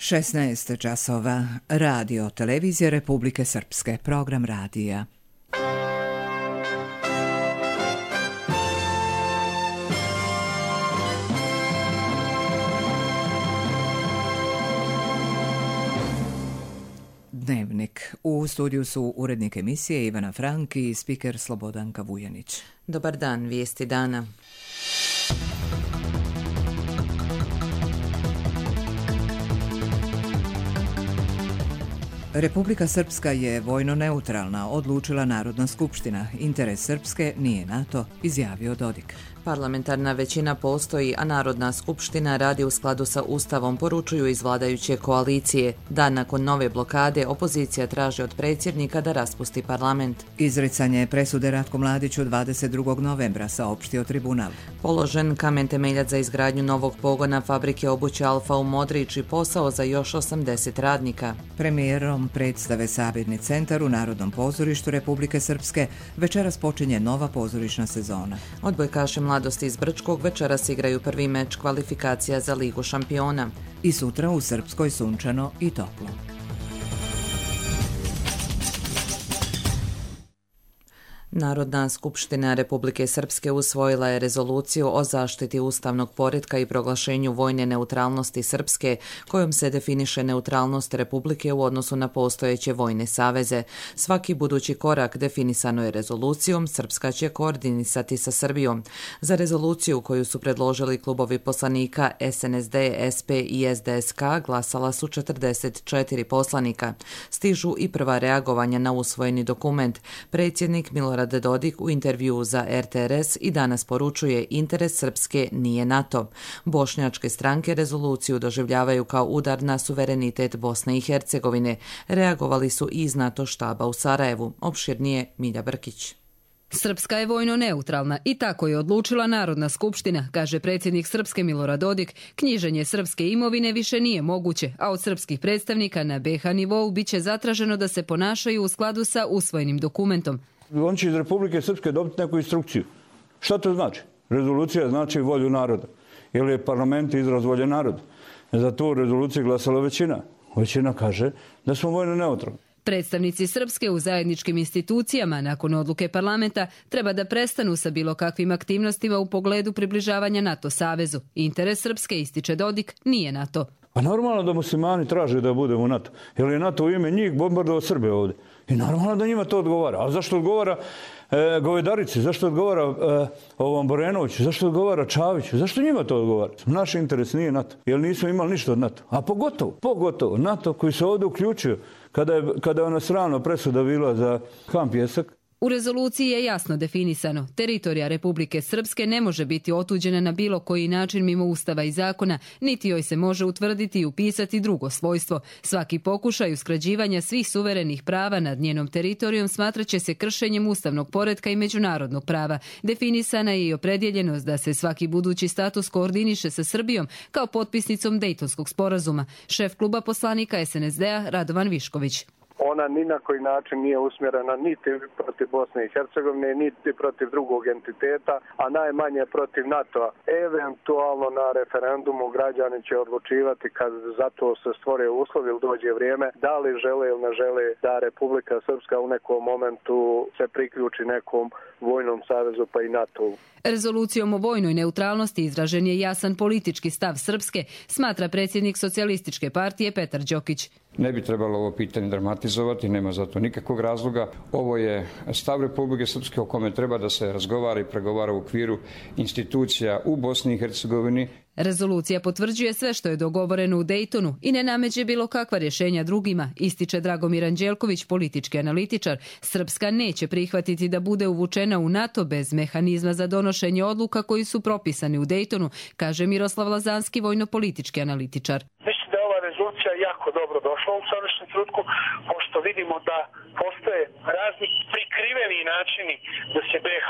16 časova. Radio Televizije Republike Srpske. Program radija. Dnevnik. U studiju su urednik emisije Ivana Frank i spiker Slobodanka Vujanić. Dobar dan, vijesti dana. Republika Srpska je vojno neutralna, odlučila Narodna skupština. Interes Srpske nije NATO, izjavio Dodik. Parlamentarna većina postoji, a Narodna skupština radi u skladu sa Ustavom, poručuju iz vladajuće koalicije. Dan nakon nove blokade, opozicija traži od predsjednika da raspusti parlament. Izricanje presude Ratku Mladiću 22. novembra, saopštio tribunal. Položen kamen temeljac za izgradnju novog pogona fabrike obuće Alfa u Modrić i posao za još 80 radnika. Premijerom predstave Sabirni centar u Narodnom pozorištu Republike Srpske večeras počinje nova pozorišna sezona. Odbojkaši Mladosti iz Brčkog večeras igraju prvi meč kvalifikacija za Ligu šampiona. I sutra u Srpskoj sunčano i toplo. Narodna skupština Republike Srpske usvojila je rezoluciju o zaštiti ustavnog poretka i proglašenju vojne neutralnosti Srpske, kojom se definiše neutralnost Republike u odnosu na postojeće vojne saveze. Svaki budući korak definisano je rezolucijom, Srpska će koordinisati sa Srbijom. Za rezoluciju koju su predložili klubovi poslanika SNSD, SP i SDSK glasala su 44 poslanika. Stižu i prva reagovanja na usvojeni dokument. Predsjednik Milorad Dodik u intervjuu za RTRS i danas poručuje interes Srpske nije NATO. Bošnjačke stranke rezoluciju doživljavaju kao udar na suverenitet Bosne i Hercegovine. Reagovali su i iz NATO štaba u Sarajevu. Opširnije Milja Brkić. Srpska je vojno neutralna i tako je odlučila Narodna skupština, kaže predsjednik Srpske Milorad Dodik. Knjiženje srpske imovine više nije moguće, a od srpskih predstavnika na BiH nivou biće zatraženo da se ponašaju u skladu sa usvojenim dokumentom. On će iz Republike Srpske dobiti neku instrukciju. Šta to znači? Rezolucija znači volju naroda. Jer je parlament izraz volje naroda. Za tu rezoluciju glasala većina. Većina kaže da smo vojno neutralni. Predstavnici Srpske u zajedničkim institucijama nakon odluke parlamenta treba da prestanu sa bilo kakvim aktivnostima u pogledu približavanja NATO savezu. Interes Srpske, ističe Dodik, nije NATO. Pa normalno da muslimani traže da budemo u NATO. Jer je NATO u ime njih bombardovao Srbe ovdje. I normalno da njima to odgovara. A zašto odgovara Govedarici? Zašto odgovara ovom Borenoviću? Zašto odgovara Čaviću? Zašto njima to odgovara? Naš interes nije NATO. Jer nismo imali ništa od NATO. A pogotovo NATO koji se ovdje uključio kada je ona sramna presuda bila za kamp Pjesak. U rezoluciji je jasno definisano, teritorija Republike Srpske ne može biti otuđena na bilo koji način mimo Ustava i zakona, niti joj se može utvrditi i upisati drugo svojstvo. Svaki pokušaj uskrađivanja svih suverenih prava nad njenom teritorijom smatraće se kršenjem ustavnog poretka i međunarodnog prava. Definisana je i opredjeljenost da se svaki budući status koordiniše sa Srbijom kao potpisnicom Dejtonskog sporazuma. Šef kluba poslanika SNSD-a Radovan Višković. Ona ni na koji način nije usmjerena niti protiv Bosne i Hercegovine, niti protiv drugog entiteta, a najmanje protiv NATO-a. Eventualno na referendumu građani će odlučivati kad za to se stvore uslovi ili dođe vrijeme, da li žele ili ne žele da Republika Srpska u nekom momentu se priključi nekom vojnom savezu pa i NATO-u. Rezolucijom o vojnoj neutralnosti izražen je jasan politički stav Srpske, smatra predsjednik Socijalističke partije Petar Đokić. Ne bi trebalo ovo pitanje dramatizovati, nema za to nikakvog razloga. Ovo je stav Republike Srpske o kome treba da se razgovara i pregovara u okviru institucija u Bosni i Hercegovini. Rezolucija potvrđuje sve što je dogovoreno u Dejtonu i ne nameće bilo kakva rješenja drugima, ističe Dragomir Anđelković, politički analitičar. Srpska neće prihvatiti da bude uvučena u NATO bez mehanizma za donošenje odluka koji su propisani u Dejtonu, kaže Miroslav Lazanski, vojno-politički analitičar. Mislim da je ova rezolucija jako dobro došla u sadašnjem trenutku, pošto vidimo da postoje razni prikriveni načini da se BiH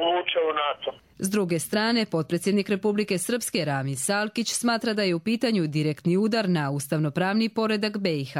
uvuče u NATO. S druge strane, potpredsjednik Republike Srpske Ramiz Salkić smatra da je u pitanju direktni udar na ustavnopravni poredak BiH.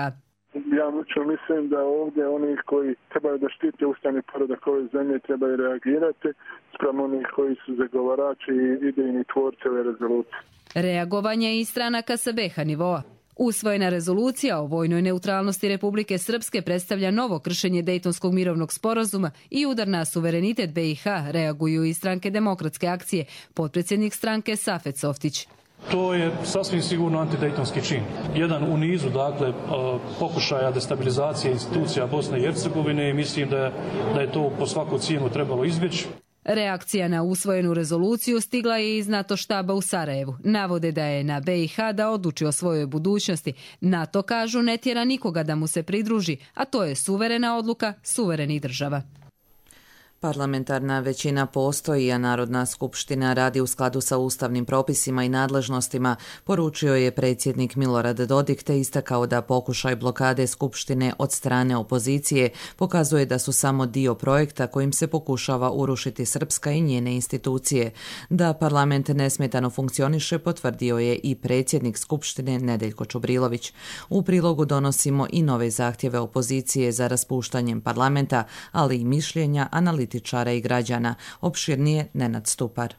Ja mislim da ovdje oni koji trebaju da štite ustavni poredak ove zemlje trebaju reagirati spram onih koji su zagovarači i idejni tvorci ove rezolucije. Reagovanje i stranaka sa BiH nivoa. Usvojena rezolucija o vojnoj neutralnosti Republike Srpske predstavlja novo kršenje Dejtonskog mirovnog sporazuma i udar na suverenitet BiH, reaguju i stranke Demokratske akcije, potpredsjednik stranke Safet Softić. To je sasvim sigurno antidejtonski čin. Jedan u nizu, dakle, pokušaja destabilizacije institucija Bosne i Hercegovine i mislim da je to po svaku cijenu trebalo izbjeći. Reakcija na usvojenu rezoluciju stigla je iz NATO štaba u Sarajevu. Navode da je na BiH da odluči o svojoj budućnosti. NATO, kažu, ne tjera nikoga da mu se pridruži, a to je suverena odluka suverenih država. Parlamentarna većina postoji, a Narodna skupština radi u skladu sa ustavnim propisima i nadležnostima, poručio je predsjednik Milorad Dodik, te istakao da pokušaj blokade skupštine od strane opozicije pokazuje da su samo dio projekta kojim se pokušava urušiti Srpska i njene institucije. Da parlament nesmetano funkcioniše potvrdio je i predsjednik skupštine Nedeljko Čubrilović. U prilogu donosimo i nove zahtjeve opozicije za raspuštanjem parlamenta, ali i mišljenja analitičara i građana. Opširnije Nenad Stupar.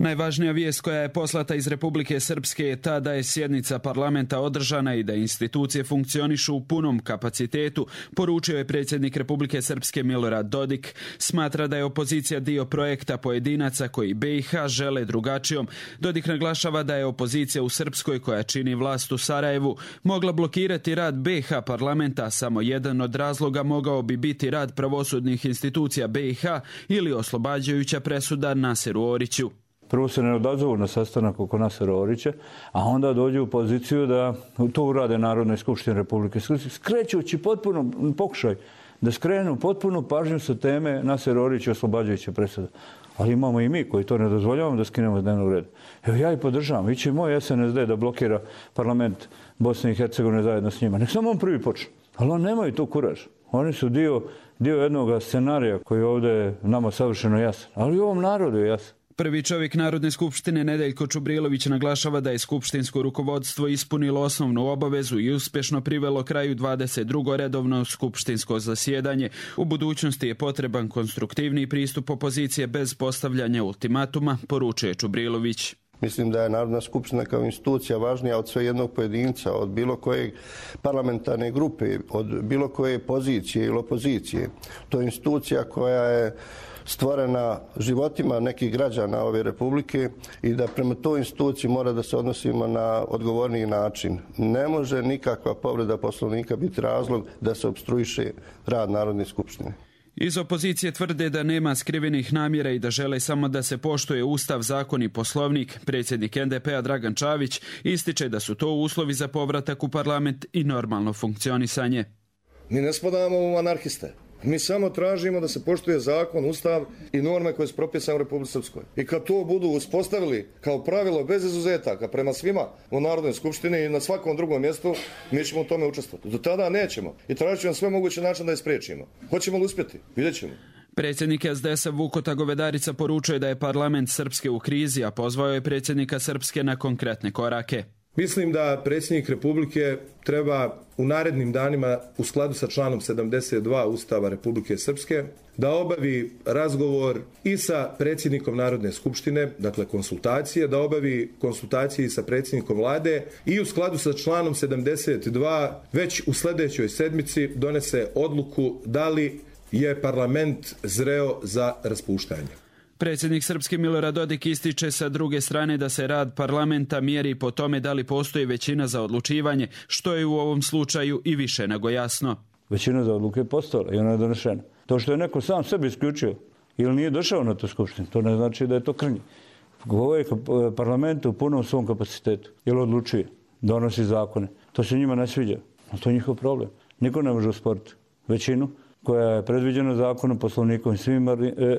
Najvažnija vijest koja je poslata iz Republike Srpske je ta da je sjednica parlamenta održana i da institucije funkcionišu u punom kapacitetu, poručio je predsjednik Republike Srpske Milorad Dodik. Smatra da je opozicija dio projekta pojedinaca koji BiH žele drugačijom. Dodik naglašava da je opozicija u Srpskoj, koja čini vlast u Sarajevu, mogla blokirati rad BiH parlamenta. Samo jedan od razloga mogao bi biti rad pravosudnih institucija BiH ili oslobađajuća presuda Naseru Oriću. Prvo se ne odazovu na sastanak oko Nasera Orića, a onda dođu u poziciju da to urade Narodne skupštine Republike Srpske, skrećući potpuno pokušaj da skrenu potpuno pažnju sa teme Naser Orić i oslobađajuća presuda. Ali imamo i mi koji to ne dozvoljavamo da skinemo s dnevnog reda. Evo ja i podržavam. Iće moj SNSD da blokira parlament Bosne i Hercegovine zajedno s njima. Nek samo on prvi počne. Ali on nemaju tu kuraž. Oni su dio jednog scenarija koji ovdje je nama savršeno jasan. Ali i ovom narodu je jasan. Prvi čovjek Narodne skupštine Nedeljko Čubrilović naglašava da je skupštinsko rukovodstvo ispunilo osnovnu obavezu i uspješno privelo kraju 22. redovno skupštinsko zasjedanje. U budućnosti je potreban konstruktivni pristup opozicije bez postavljanja ultimatuma, poručuje Čubrilović. Mislim da je Narodna skupština kao institucija važnija od sve jednog pojedinca, od bilo koje parlamentarne grupe, od bilo koje pozicije ili opozicije. To je institucija koja je stvorena životima nekih građana ove republike i da prema toj instituciji mora da se odnosimo na odgovorniji način. Ne može nikakva povreda Poslovnika biti razlog da se opstruiše rad Narodne skupštine. Iz opozicije tvrde da nema skrivenih namjera i da žele samo da se poštuje Ustav, zakon i Poslovnik. Predsjednik NDP-a Dragan Čavić ističe da su to uslovi za povratak u parlament i normalno funkcionisanje. Mi ne spadamo u anarhiste. Mi samo tražimo da se poštuje zakon, ustav i norme koje su propisane u Republici Srpskoj. I kad to budu uspostavili kao pravilo bez izuzetaka prema svima u Narodnoj skupštini i na svakom drugom mjestu, mi ćemo u tome učestvovati. Do tada nećemo i tražit ćemo sve moguće način da je spriječimo. Hoćemo li uspjeti? Vidjet ćemo. Predsjednik SDS-a Vukota Govedarica poručuje da je parlament Srpske u krizi, a pozvao je predsjednika Srpske na konkretne korake. Mislim da predsjednik Republike treba u narednim danima u skladu sa članom 72 Ustava Republike Srpske da obavi razgovor i sa predsjednikom Narodne skupštine, dakle konsultacije, da obavi konsultacije i sa predsjednikom vlade i u skladu sa članom 72 već u sljedećoj sedmici donese odluku da li je parlament zreo za raspuštanje. Predsjednik Srpske Milorad Dodik ističe sa druge strane da se rad parlamenta mjeri po tome da li postoji većina za odlučivanje, što je u ovom slučaju i više nego jasno. Većina za odluke je postojala i ona je donešena. To što je neko sam sebi isključio ili nije došao na tu skupštinu, to ne znači da je to krnje. Ovo je parlament u punom svom kapacitetu. Ili odlučuje, donosi zakone. To se njima ne sviđa. To je njihov problem. Niko ne može usporiti većinu koja je predviđena zakonom, Poslovnikom i svim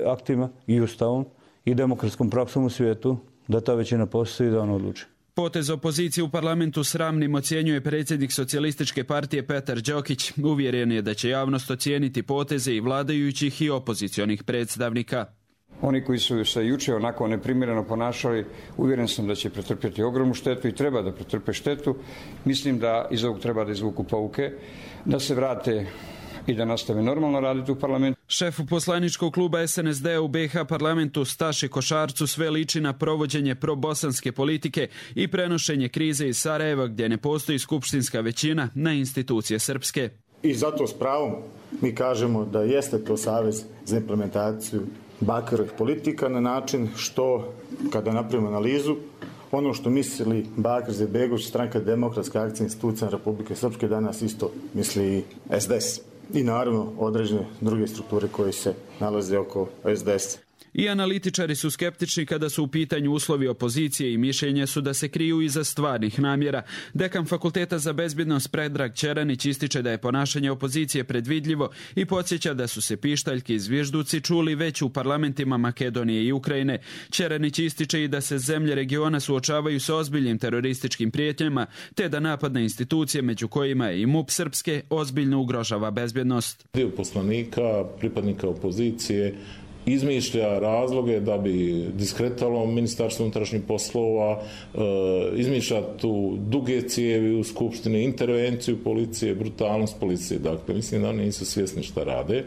aktima i ustavom i demokratskom praksom u svijetu, da ta većina postoji i da on odluči. Potez opozicije u parlamentu sramnim ocjenjuje predsjednik Socijalističke partije Petar Đokić. Uvjeren je da će javnost ocijeniti poteze i vladajućih i opozicionih predstavnika. Oni koji su se jučer onako neprimjereno ponašali, uvjeren sam da će pretrpjeti ogromnu štetu i treba da pretrpe štetu. Mislim da iz ovog treba da izvuku pouke, da se vrate i da nastave normalno raditi u parlamentu. Šefu poslaničkog kluba SNSD u BiH parlamentu Staši Košarcu sve liči na provođenje probosanske politike i prenošenje krize iz Sarajeva gdje ne postoji skupštinska većina na institucije srpske. I zato s pravom mi kažemo da jeste to savez za implementaciju Bakirovih politika na način što, kada napravimo analizu, ono što misli Bakir Izetbegović, Stranka demokratske akcije institucija Republike Srpske, danas isto misli i SDS. I naravno određene druge strukture koje se nalaze oko SDS. I analitičari su skeptični kada su u pitanju uslovi opozicije i mišljenje su da se kriju iza stvarnih namjera. Dekan Fakulteta za bezbjednost Predrag Ćeranić ističe da je ponašanje opozicije predvidljivo i podsjeća da su se pištaljki i zvižduci čuli već u parlamentima Makedonije i Ukrajine. Ćeranić ističe i da se zemlje regiona suočavaju sa ozbiljnim terorističkim prijetnjama, te da napad na institucije, među kojima je i MUP Srpske, ozbiljno ugrožava bezbjednost. Dio poslanika, pripadnika opozicije, izmišlja razloge da bi diskretalo Ministarstvo unutrašnjih poslova, izmišlja tu duge cijevi u Skupštini, intervenciju policije, brutalnost policije. Dakle, mislim da oni nisu svjesni šta rade.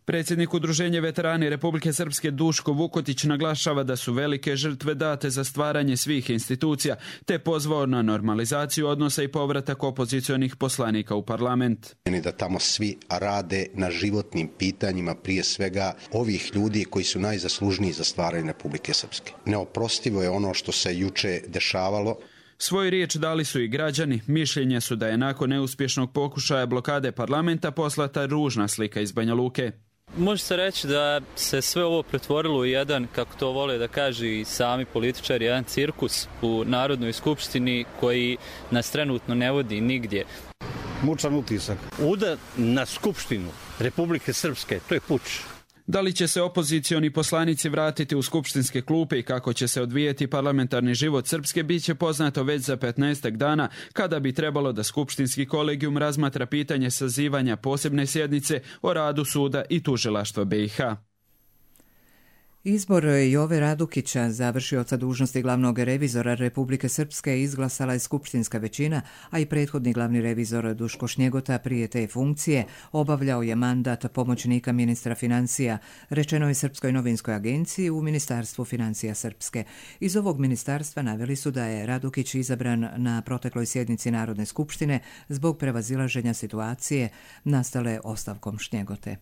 Predsjednik Udruženja veterani Republike Srpske Duško Vukotić naglašava da su velike žrtve date za stvaranje svih institucija, te pozvao na normalizaciju odnosa i povratak opozicionih poslanika u parlament. Da tamo svi rade na životnim pitanjima, prije svega ovih ljudi koji su najzaslužniji za stvaranje Republike Srpske. Neoprostivo je ono što se juče dešavalo. Svoju riječ dali su i građani. Mišljenje su da je nakon neuspješnog pokušaja blokade parlamenta poslata ružna slika iz Banja Luke. Može se reći da se sve ovo pretvorilo u jedan, kako to vole da kažu i sami političari, jedan cirkus u Narodnoj skupštini koji nas trenutno ne vodi nigdje. Mučan utisak. Udar na Skupštinu Republike Srpske, to je puč. Da li će se opozicioni poslanici vratiti u skupštinske klupe i kako će se odvijeti parlamentarni život Srpske bit će poznato već za 15 dana, kada bi trebalo da skupštinski kolegijum razmatra pitanje sazivanja posebne sjednice o radu suda i tužilaštva BiH. Izbor Jove Radukića, završioca dužnosti glavnog revizora Republike Srpske, izglasala je skupštinska većina, a i prethodni glavni revizor Duško Šnjegota prije te funkcije obavljao je mandat pomoćnika ministra financija, rečeno je Srpskoj novinskoj agenciji u Ministarstvu financija Srpske. Iz ovog ministarstva naveli su da je Radukić izabran na protekloj sjednici Narodne skupštine zbog prevazilaženja situacije nastale ostavkom Šnjegote.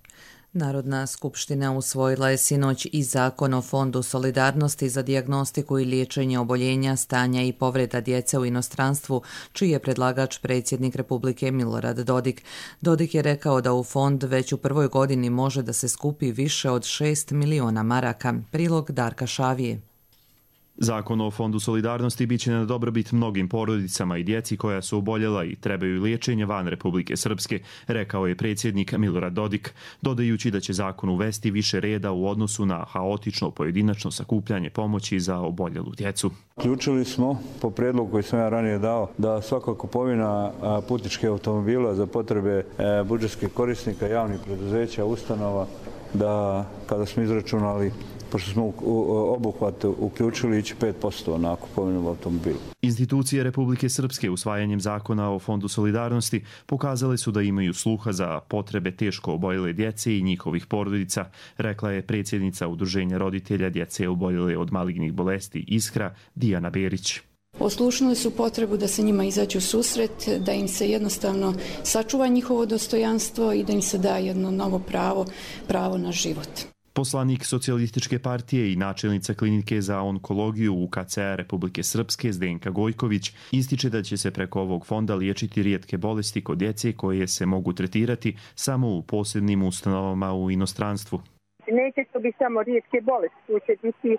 Narodna skupština usvojila je sinoć i Zakon o Fondu solidarnosti za dijagnostiku i liječenje oboljenja, stanja i povreda djece u inostranstvu, čiji je predlagač predsjednik Republike Milorad Dodik. Dodik je rekao da u fond već u prvoj godini može da se skupi više od 6 miliona maraka. Prilog Darka Šavije. Zakon o Fondu solidarnosti biće na dobrobit mnogim porodicama i djeci koja su oboljela i trebaju liječenje van Republike Srpske, rekao je predsjednik Milorad Dodik, dodajući da će zakon uvesti više reda u odnosu na haotično pojedinačno sakupljanje pomoći za oboljelu djecu. Ključili smo, po prijedlogu koji sam ja ranije dao, da svaka kupovina putničkih automobila za potrebe budžetskih korisnika, javnih preduzeća, ustanova, da kada smo izračunali, pošto smo obuhvat uključili, ići 5% na kupovinu automobila. Institucije Republike Srpske usvajanjem zakona o Fondu solidarnosti pokazale su da imaju sluha za potrebe teško oboljele djece i njihovih porodica, rekla je predsjednica Udruženja roditelja djece oboljele od malignih bolesti Iskra, Dijana Berić. Oslušnuli su potrebu da se njima izađe u susret, da im se jednostavno sačuva njihovo dostojanstvo i da im se da jedno novo pravo na život. Poslanik Socijalističke partije i načelnica klinike za onkologiju UKC-a Republike Srpske Zdenka Gojković ističe da će se preko ovog fonda liječiti rijetke bolesti kod djece koje se mogu tretirati samo u posebnim ustanovama u inostranstvu. Neće to biti samo rijetke bolesti, tu će biti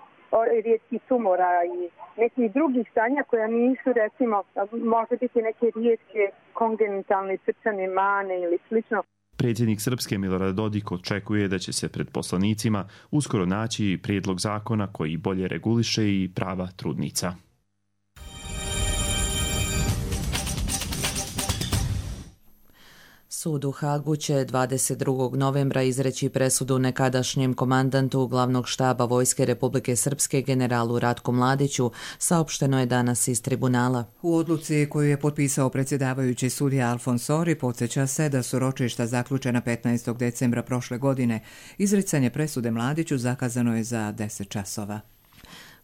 rijetki tumora i nekih drugih stanja koja nisu, recimo, može biti neke rijetke kongenitalne srčane mane ili slično. Predsjednik Srpske Milorad Dodik očekuje da će se pred poslanicima uskoro naći prijedlog zakona koji bolje reguliše i prava trudnica. Sud u Hagu će 22. novembra izreći presudu nekadašnjem komandantu glavnog štaba Vojske Republike Srpske generalu Ratku Mladiću, saopšteno je danas iz tribunala. U odluci koju je potpisao predsjedavajući sudija Alfonsori podsjeća se da su ročišta zaključena 15. decembra prošle godine. Izricanje presude Mladiću zakazano je za 10 časova.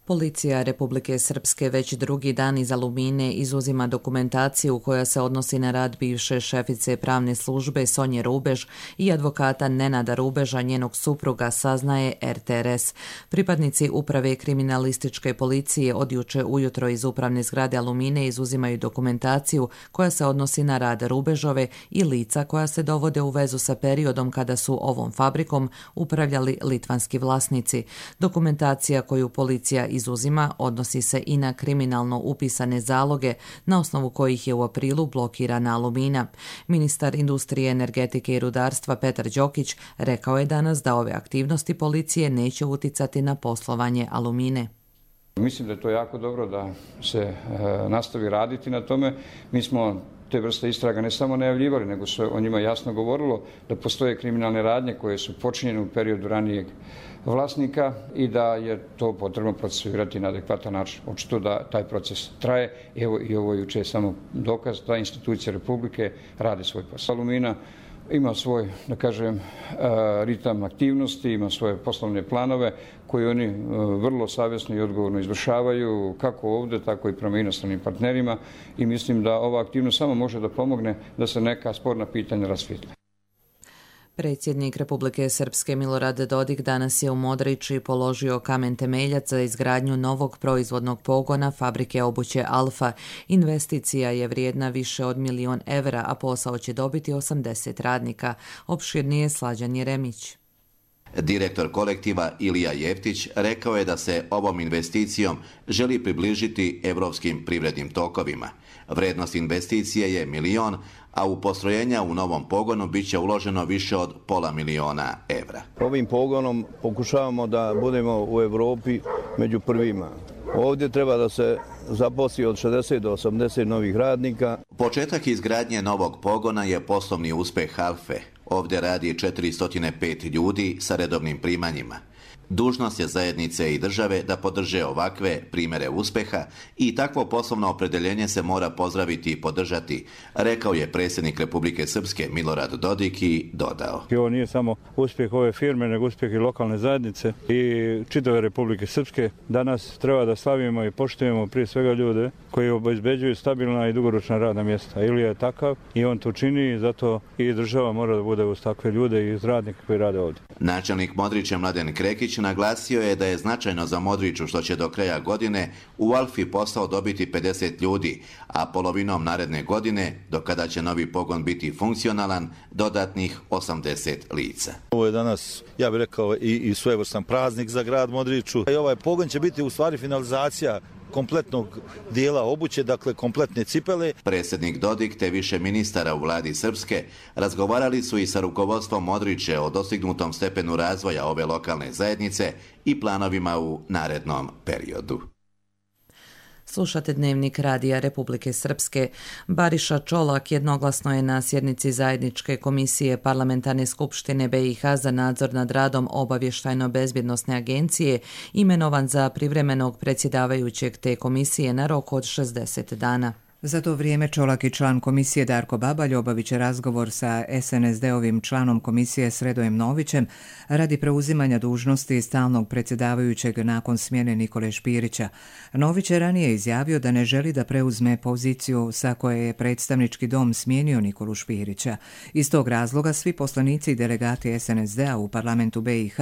Policija Republike Srpske već drugi dan iz Alumine izuzima dokumentaciju koja se odnosi na rad bivše šefice pravne službe Sonje Rubež i advokata Nenada Rubeža, njenog supruga, saznaje RTRS. Pripadnici uprave kriminalističke policije od juče ujutro iz upravne zgrade Alumine izuzimaju dokumentaciju koja se odnosi na rad Rubežove i lica koja se dovode u vezu sa periodom kada su ovom fabrikom upravljali litvanski vlasnici. Dokumentacija koju policija izuzima odnosi se i na kriminalno upisane zaloge na osnovu kojih je u aprilu blokirana Alumina. Ministar industrije, energetike i rudarstva Petar Đokić rekao je danas da ove aktivnosti policije neće uticati na poslovanje Alumine. Mislim da je to jako dobro da se nastavi raditi na tome. Mi smo te vrste istraga ne samo najavljivali, nego se o njima jasno govorilo da postoje kriminalne radnje koje su počinjene u periodu ranijeg vlasnika i da je to potrebno procesuirati na adekvatan način. Očito da taj proces traje. Evo i ovo juče je samo dokaz da institucije Republike rade svoj posao. Alumina ima svoj, da kažem, ritam aktivnosti, ima svoje poslovne planove koje oni vrlo savjesno i odgovorno izvršavaju, kako ovdje, tako i prema inostranim partnerima, i mislim da ova aktivnost samo može da pomogne da se neka sporna pitanja rasvijetle. Predsjednik Republike Srpske Milorad Dodik danas je u Modriči položio kamen temeljac za izgradnju novog proizvodnog pogona fabrike obuće Alfa. Investicija je vrijedna više od 1 milion evra, a posao će dobiti 80 radnika. Opširnije Slađan Jeremić. Direktor kolektiva Ilija Jeftić rekao je da se ovom investicijom želi približiti evropskim privrednim tokovima. Vrednost investicije je 1 milion, a u postrojenja u novom pogonu bit će uloženo više od 500 000 evra. Ovim pogonom pokušavamo da budemo u Evropi među prvima. Ovdje treba da se zaposli od 60 do 80 novih radnika. Početak izgradnje novog pogona je poslovni uspeh Alfe. Ovdje radi 405 ljudi sa redovnim primanjima. Dužnost je zajednice i države da podrže ovakve primjere uspeha i takvo poslovno opredeljenje se mora pozdraviti i podržati, rekao je predsjednik Republike Srpske Milorad Dodik i dodao. Ovo nije samo uspjeh ove firme, nego uspjeh i lokalne zajednice i čitave Republike Srpske. Danas treba da slavimo i poštujemo prije svega ljude koji obezbeđuju stabilna i dugoročna radna mjesta. Ilija je takav i on to čini i zato i država mora da bude uz takve ljude i uz radnike koji rade ovdje. Načelnik Modrića Mladen Krekić naglasio je da je značajno za Modriću što će do kraja godine u Alfi posao dobiti 50 ljudi, a polovinom naredne godine, do kada će novi pogon biti funkcionalan, dodatnih 80 lica. Ovo je danas, ja bih rekao, i svojevrstan praznik za grad Modriću. I ovaj pogon će biti u stvari finalizacija kompletnog dijela obuće, dakle kompletne cipele. Predsjednik Dodik te više ministara u vladi Srpske razgovarali su i sa rukovodstvom Modriće o dostignutom stepenu razvoja ove lokalne zajednice i planovima u narednom periodu. Slušate Dnevnik Radija Republike Srpske. Bariša Čolak jednoglasno je na sjednici zajedničke komisije Parlamentarne skupštine BiH za nadzor nad radom Obavještajno-bezbjednosne agencije imenovan za privremenog predsjedavajućeg te komisije na rok od 60 dana. Za to vrijeme Čolak i član komisije Darko Babalj obavit će razgovor sa SNSD-ovim članom komisije Sredojem Novićem radi preuzimanja dužnosti stalnog predsjedavajućeg nakon smjene Nikole Špirića. Nović je ranije izjavio da ne želi da preuzme poziciju sa koje je predstavnički dom smijenio Nikolu Špirića. Iz tog razloga svi poslanici i delegati SNSD-a u parlamentu BiH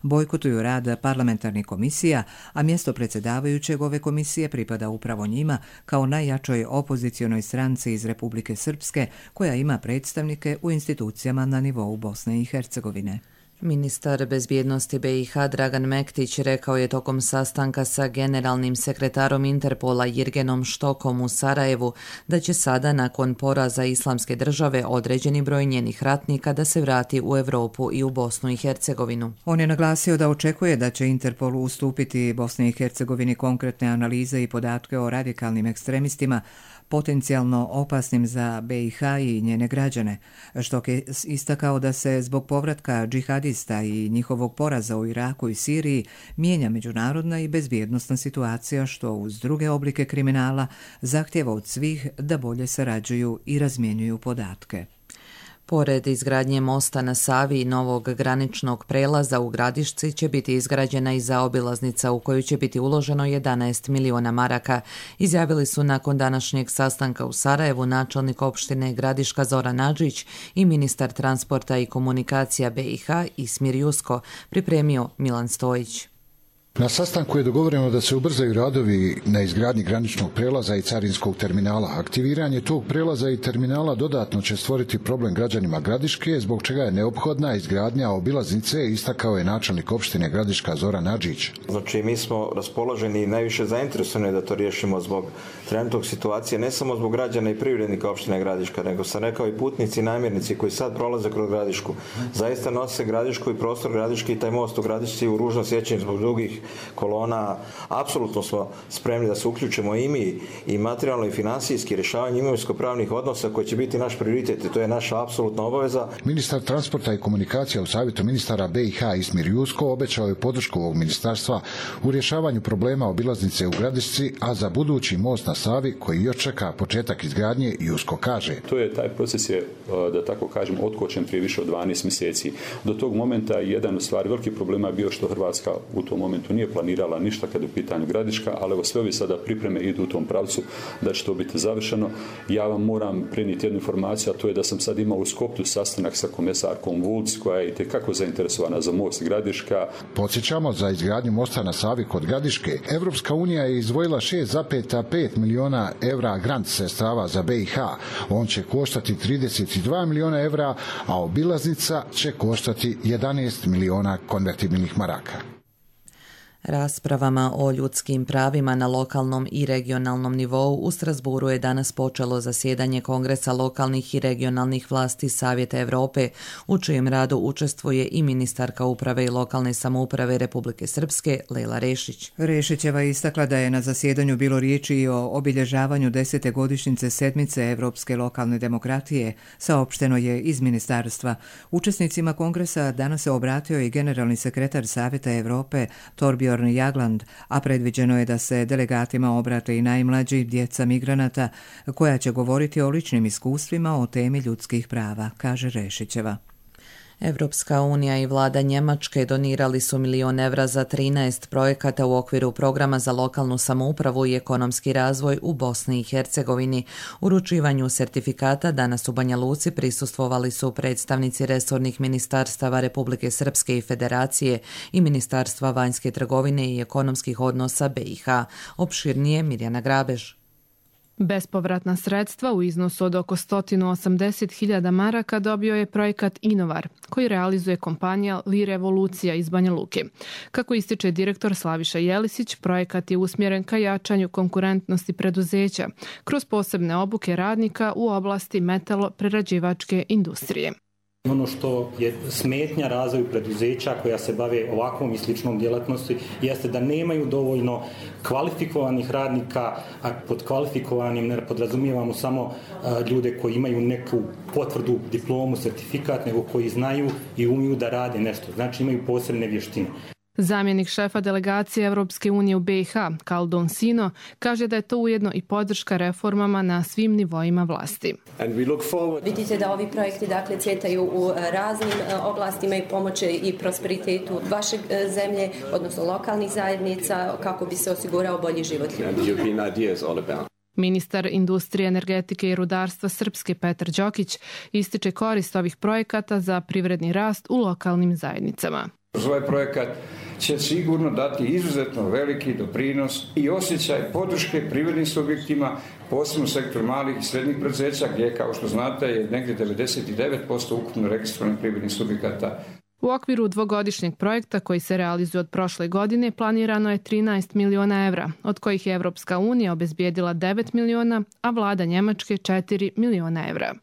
bojkotuju rad parlamentarnih komisija, a mjesto predsjedavajućeg ove komisije pripada upravo njima kao najjačoj opozicionoj stranci iz Republike Srpske koja ima predstavnike u institucijama na nivou Bosne i Hercegovine. Ministar bezbjednosti BiH Dragan Mektić rekao je tokom sastanka sa generalnim sekretarom Interpola Jirgenom Štokom u Sarajevu da će sada nakon poraza Islamske države određeni broj njenih ratnika da se vrati u Europu i u Bosnu i Hercegovinu. On je naglasio da očekuje da će Interpol ustupiti Bosni i Hercegovini konkretne analize i podatke o radikalnim ekstremistima potencijalno opasnim za BiH i njene građane, što je istakao da se zbog povratka džihadista i njihovog poraza u Iraku i Siriji mijenja međunarodna i bezbjednosna situacija, što uz druge oblike kriminala zahtjeva od svih da bolje sarađuju i razmjenjuju podatke. Pored izgradnje mosta na Savi i novog graničnog prelaza u Gradišci će biti izgrađena i zaobilaznica u koju će biti uloženo 11 miliona maraka, izjavili su nakon današnjeg sastanka u Sarajevu načelnik opštine Gradiška Zoran Adžić i ministar transporta i komunikacija BiH Ismir Jusko, pripremio Milan Stojić. Na sastanku je dogovoreno da se ubrzaju radovi na izgradnji graničnog prelaza i carinskog terminala. Aktiviranje tog prelaza i terminala dodatno će stvoriti problem građanima Gradiške, zbog čega je neophodna izgradnja obilaznice, istakao je načelnik opštine Gradiška Zoran Adžić. Znači, mi smo raspoloženi i najviše zainteresovani da to riješimo zbog trenutnog situacije, ne samo zbog građana i privrednika opštine Gradiška, nego sam rekao i putnici i namirnici koji sad prolaze kroz Gradišku. Zaista nose Gradišku i prostor Gradiški i taj most u Gradišci u ružno sjećanje zbog drugih kolona. Apsolutno smo spremni da se uključimo i mi i materijalno i finansijski rješavanje imovinsko-pravnih odnosa koji će biti naš prioritet i to je naša apsolutna obaveza. Ministar transporta i komunikacija u Savjetu ministara BiH Ismir Jusko obećao je podršku ovog ministarstva u rješavanju problema obilaznice u Gradišci, a za budući most na Savi koji još čeka početak izgradnje, Jusko kaže. Taj proces je, da tako kažem, otkočen prije više od 12 mjeseci. Do tog momenta jedan od stvari veliki problema je bio što Hrvatska u tom momentu nije planirala ništa kad je u pitanju Gradiška, ali evo sve ovi sada pripreme idu u tom pravcu da će to biti završeno. Ja vam moram prenijeti jednu informaciju, a to je da sam sad imao u Skopju sastanak sa komesarkom Vulc, koja je itekako zainteresovana za most Gradiška. Podsjećamo, za izgradnju mosta na Savi kod Gradiške, Evropska unija je izdvojila 6,5 miliona evra grant sredstava za BiH. On će koštati 32 miliona evra, a obilaznica će koštati 11 miliona konvertibilnih maraka. Raspravama o ljudskim pravima na lokalnom i regionalnom nivou u Strasburu je danas počelo zasjedanje Kongresa lokalnih i regionalnih vlasti Savjeta Europe, u čijem radu učestvuje i ministarka uprave i lokalne samouprave Republike Srpske Lejla Rešić. Rešićeva je istakla da je na zasjedanju bilo riječi i o obilježavanju 10. godišnjice sedmice Evropske lokalne demokratije, saopšteno je iz ministarstva. Učesnicima Kongresa danas se obratio i generalni sekretar Savjeta Europe Torbjörn Jagland, a predviđeno je da se delegatima obrate i najmlađi, djeca migranata, koja će govoriti o ličnim iskustvima o temi ljudskih prava, kaže Rešićeva. Evropska unija i vlada Njemačke donirali su 1 milion evra za 13 projekata u okviru programa za lokalnu samoupravu i ekonomski razvoj u Bosni i Hercegovini. Uručivanju sertifikata danas u Banja Luci prisustvovali su predstavnici resornih ministarstava Republike Srpske i Federacije i Ministarstva vanjske trgovine i ekonomskih odnosa BiH. Opširnije Mirjana Grabež. Bespovratna sredstva u iznosu od oko 180.000 maraka dobio je projekat Inovar, koji realizuje kompanija Li Revolucija iz Banja Luke. Kako ističe direktor Slaviša Jelisić, projekat je usmjeren ka jačanju konkurentnosti preduzeća kroz posebne obuke radnika u oblasti metalo-prerađivačke industrije. Ono što je smetnja razvoju preduzeća koja se bave ovakvom i sličnom djelatnosti jeste da nemaju dovoljno kvalifikovanih radnika, a pod kvalifikovanim ne podrazumijevamo samo ljude koji imaju neku potvrdu, diplomu, sertifikat, nego koji znaju i umiju da rade nešto, znači imaju posebne vještine. Zamjenik šefa delegacije Evropske unije u BiH, Kaldon Sino, kaže da je to ujedno i podrška reformama na svim nivoima vlasti. Vidite da ovi projekti cvjetaju u raznim oblastima i pomoće i prosperitetu vaše zemlje, odnosno lokalnih zajednica, kako bi se osigurao bolji život ljudi. Ministar industrije, energetike i rudarstva Srpske Petar Đokić ističe korist ovih projekata za privredni rast u lokalnim zajednicama. Ovaj projekat će sigurno dati izuzetno veliki doprinos i osjećaj podrške privrednim subjektima, posebno sektor malih i srednjih preduzeća, gdje, kao što znate, je negdje 99% ukupno registrovanih privrednih subjekata. U okviru dvogodišnjeg projekta koji se realizuje od prošle godine planirano je 13 miliona evra, od kojih je Evropska unija obezbijedila 9 miliona, a vlada Njemačke 4 miliona evra.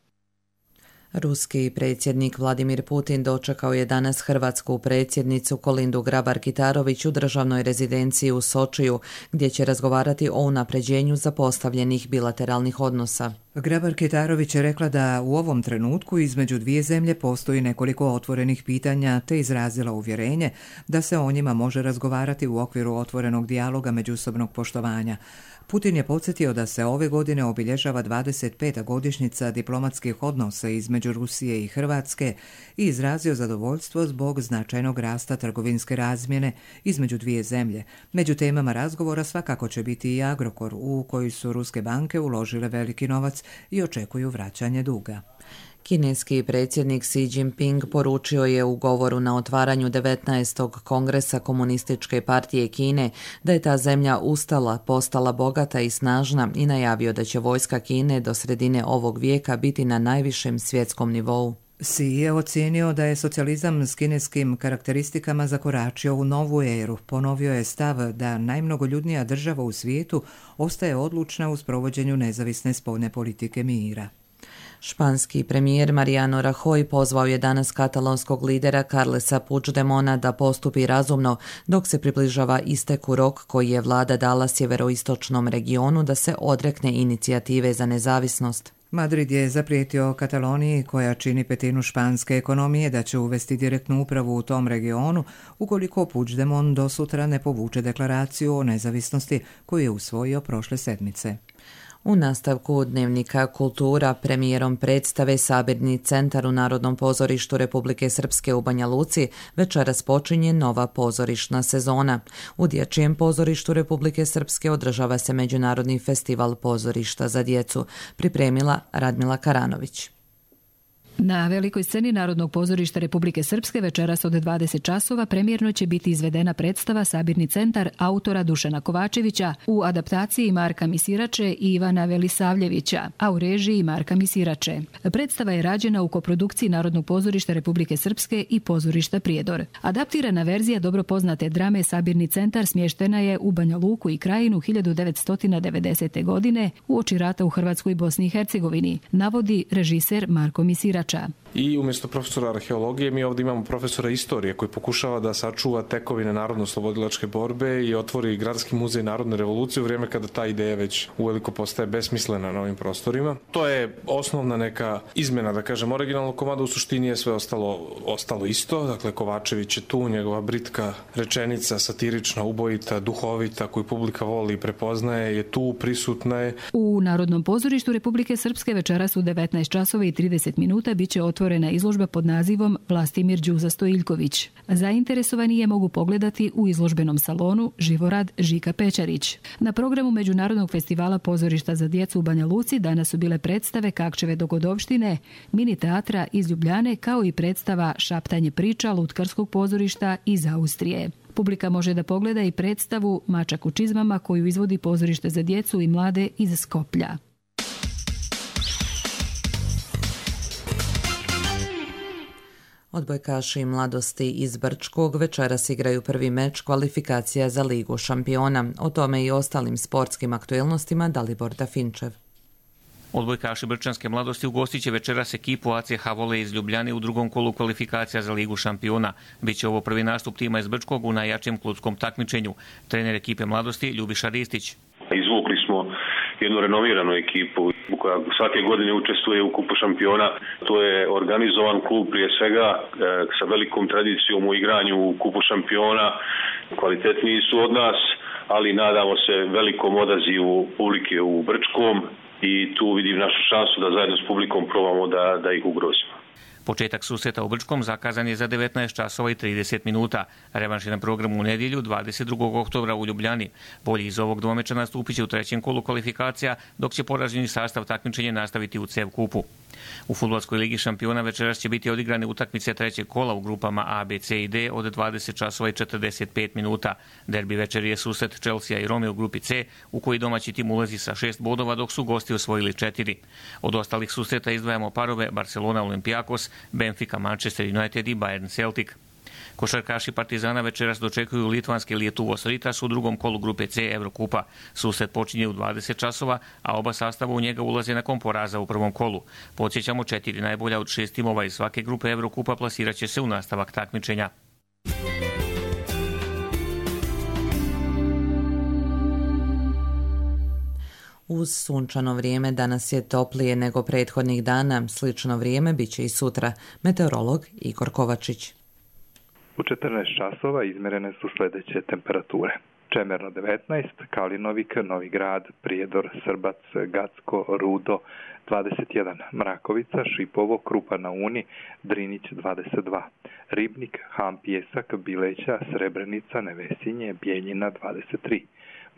Ruski predsjednik Vladimir Putin dočekao je danas hrvatsku predsjednicu Kolindu Grabar-Kitarović u državnoj rezidenciji u Sočiju, gdje će razgovarati o unapređenju zapostavljenih bilateralnih odnosa. Grabar-Kitarović je rekla da u ovom trenutku između dvije zemlje postoji nekoliko otvorenih pitanja, te izrazila uvjerenje da se o njima može razgovarati u okviru otvorenog dijaloga međusobnog poštovanja. Putin je podsjetio da se ove godine obilježava 25. godišnjica diplomatskih odnosa između Rusije i Hrvatske i izrazio zadovoljstvo zbog značajnog rasta trgovinske razmjene između dvije zemlje. Među temama razgovora svakako će biti i Agrokor, u koji su ruske banke uložile veliki novac i očekuju vraćanje duga. Kineski predsjednik Xi Jinping poručio je u govoru na otvaranju 19. kongresa Komunističke partije Kine da je ta zemlja ustala, postala bogata i snažna i najavio da će vojska Kine do sredine ovog vijeka biti na najvišem svjetskom nivou. Xi je ocijenio da je socijalizam s kineskim karakteristikama zakoračio u novu eru. Ponovio je stav da najmnogoljudnija država u svijetu ostaje odlučna u sprovođenju nezavisne spoljne politike mira. Španski premijer Mariano Rajoy pozvao je danas katalonskog lidera Carlesa Puigdemona da postupi razumno dok se približava isteku rok koji je vlada dala sjeveroistočnom regionu da se odrekne inicijative za nezavisnost. Madrid je zaprijetio Kataloniji, koja čini petinu španske ekonomije, da će uvesti direktnu upravu u tom regionu ukoliko Puigdemont do sutra ne povuče deklaraciju o nezavisnosti koju je usvojio prošle sedmice. U nastavku dnevnika Kultura premijerom predstave Sabirni centar u Narodnom pozorištu Republike Srpske u Banja Luci večeras počinje nova pozorišna sezona. U Dječjem pozorištu Republike Srpske održava se Međunarodni festival pozorišta za djecu, pripremila Radmila Karanović. Na velikoj sceni Narodnog pozorišta Republike Srpske večeras od 20 časova premijerno će biti izvedena predstava Sabirni centar autora Dušana Kovačevića u adaptaciji Marka Misirače i Ivana Velisavljevića, a u režiji Marka Misirače. Predstava je rađena u koprodukciji Narodnog pozorišta Republike Srpske i pozorišta Prijedor. Adaptirana verzija dobro poznate drame Sabirni centar smještena je u Banja Luku i Krajinu 1990. godine uoči rata u Hrvatskoj i Bosni i Hercegovini, navodi režiser Marko Misirač. I umjesto profesora arheologije mi ovdje imamo profesora istorije koji pokušava da sačuva tekovine narodno-slobodilačke borbe i otvori Gradski muzej narodne revolucije u vrijeme kada ta ideja već uveliko postaje besmislena na ovim prostorima. To je osnovna neka izmjena, da kažem, originalnog komada, u suštini je sve ostalo isto. Dakle, Kovačević je tu, njegova britka rečenica, satirična, ubojita, duhovita, koju publika voli i prepoznaje, je tu, prisutna je. U Narodnom pozorištu Republike Srpske večeras u 19 časova i 30 minuta biće otvorena izložba pod nazivom Vlastimir Đuza Stojiljković. Zainteresovani je mogu pogledati u izložbenom salonu Živorad Žika Pečarić. Na programu Međunarodnog festivala pozorišta za djecu u Banja Luci danas su bile predstave Kakčeve dogodovštine, mini teatra iz Ljubljane, kao i predstava Šaptanje priča Lutkarskog pozorišta iz Austrije. Publika može da pogleda i predstavu Mačak u čizmama koju izvodi pozorište za djecu i mlade iz Skoplja. Odbojkaši mladosti iz Brčkog večeras igraju prvi meč kvalifikacija za Ligu šampiona. O tome i ostalim sportskim aktuelnostima Dalibor Dafinčev. Odbojkaši brčanske mladosti ugostit će večeras ekipu ACH Vole iz Ljubljane u drugom kolu kvalifikacija za Ligu šampiona. Biće ovo prvi nastup tima iz Brčkog u najjačem kludskom takmičenju. Trener ekipe mladosti Ljubiša Ristić. Izvukli smo jednu renoviranu ekipu koja svake godine učestvuje u kupu šampiona. To je organizovan klub prije svega sa velikom tradicijom u igranju u kupu šampiona. Kvalitetniji su od nas, ali nadamo se velikom odazivu publike u Brčkom i tu vidim našu šansu da zajedno s publikom probamo da ih ugrozimo. Početak susreta u Brčkom zakazan je za 19 časova i 30 minuta. Revanš je na programu u nedjelju 22. oktobra u Ljubljani. Bolji iz ovog dvomeča nastupit će u trećem kolu kvalifikacija, dok će poraženi sastav takmičenja nastaviti u CEV kupu. U fudbalskoj ligi šampiona večeras će biti odigrane utakmice trećeg kola u grupama A, B, C i D od 20 časova i 45 minuta. Derbi večeri je susret Chelsea i Rome u grupi C, u koji domaći tim ulazi sa 6 bodova, dok su gosti osvojili 4. Od ostalih susreta izdvajamo parove Barcelona Olympiakos, Benfica Manchester United i Bayern Celtic. Košarkaši Partizana večeras dočekuju litvanske Lietuvos Ritas u drugom kolu grupe C Evrokupa. Susret počinje u 20 časova, a oba sastava u njega ulaze nakon poraza u prvom kolu. Podsjećamo, 4 najbolja od 6 timova iz svake grupe Evrokupa plasirat će se u nastavak takmičenja. Uz sunčano vrijeme danas je toplije nego prethodnih dana. Slično vrijeme bit će i sutra. Meteorolog Igor Kovačić. U 14 časova izmjerene su sljedeće temperature. Čemerno 19, Kalinovik, Novi Grad, Prijedor, Srbac, Gacko, Rudo 21, Mrakovica, Šipovo, Krupa na Uni, Drinić 22, Ribnik, Ham, Pjesak, Bileća, Srebrenica, Nevesinje, Bijeljina 23,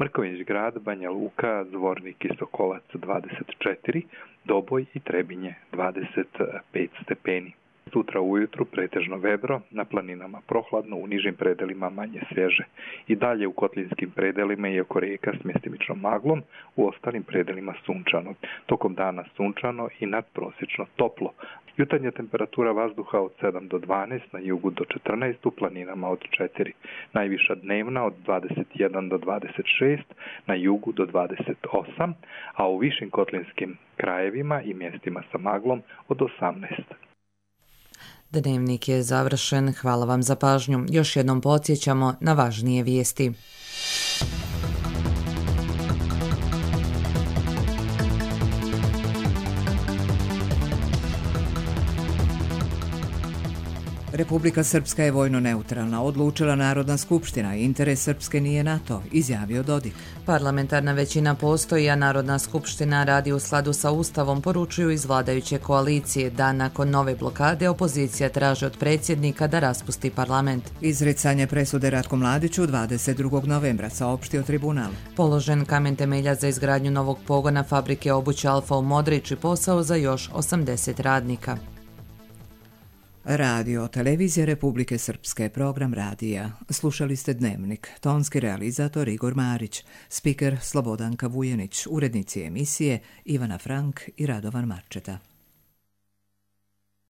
Mrković Grad, Banja Luka, Zvornik i Sokolac 24, Doboj i Trebinje 25 stepeni. Sutra ujutru pretežno vedro, na planinama prohladno, u nižim predelima manje svježe. I dalje u kotlinskim predelima i oko rijeka s mjestimičnom maglom, u ostalim predelima sunčano. Tokom dana sunčano i nadprosječno toplo. Jutarnja temperatura vazduha od 7 do 12, na jugu do 14, u planinama od 4. Najviša dnevna od 21 do 26, na jugu do 28, a u višim kotlinskim krajevima i mjestima sa maglom od 18. Dnevnik je završen. Hvala vam za pažnju. Još jednom podsjećamo na važnije vijesti. Republika Srpska je vojno neutralna, odlučila Narodna skupština, interes Srpske nije NATO, izjavio Dodik. Parlamentarna većina postoji, a Narodna skupština radi u skladu sa Ustavom, poručuju iz vladajuće koalicije, da nakon nove blokade opozicija traži od predsjednika da raspusti parlament. Izricanje presude Ratku Mladiću 22. novembra, saopštio tribunal. Položen kamen temelja za izgradnju novog pogona fabrike obuće Alfa u Modrić i posao za još 80 radnika. Radio, televizija Republike Srpske, program radija. Slušali ste Dnevnik, tonski realizator Igor Marić, spiker Slobodanka Vujenić, urednici emisije Ivana Frank i Radovan Marčeta.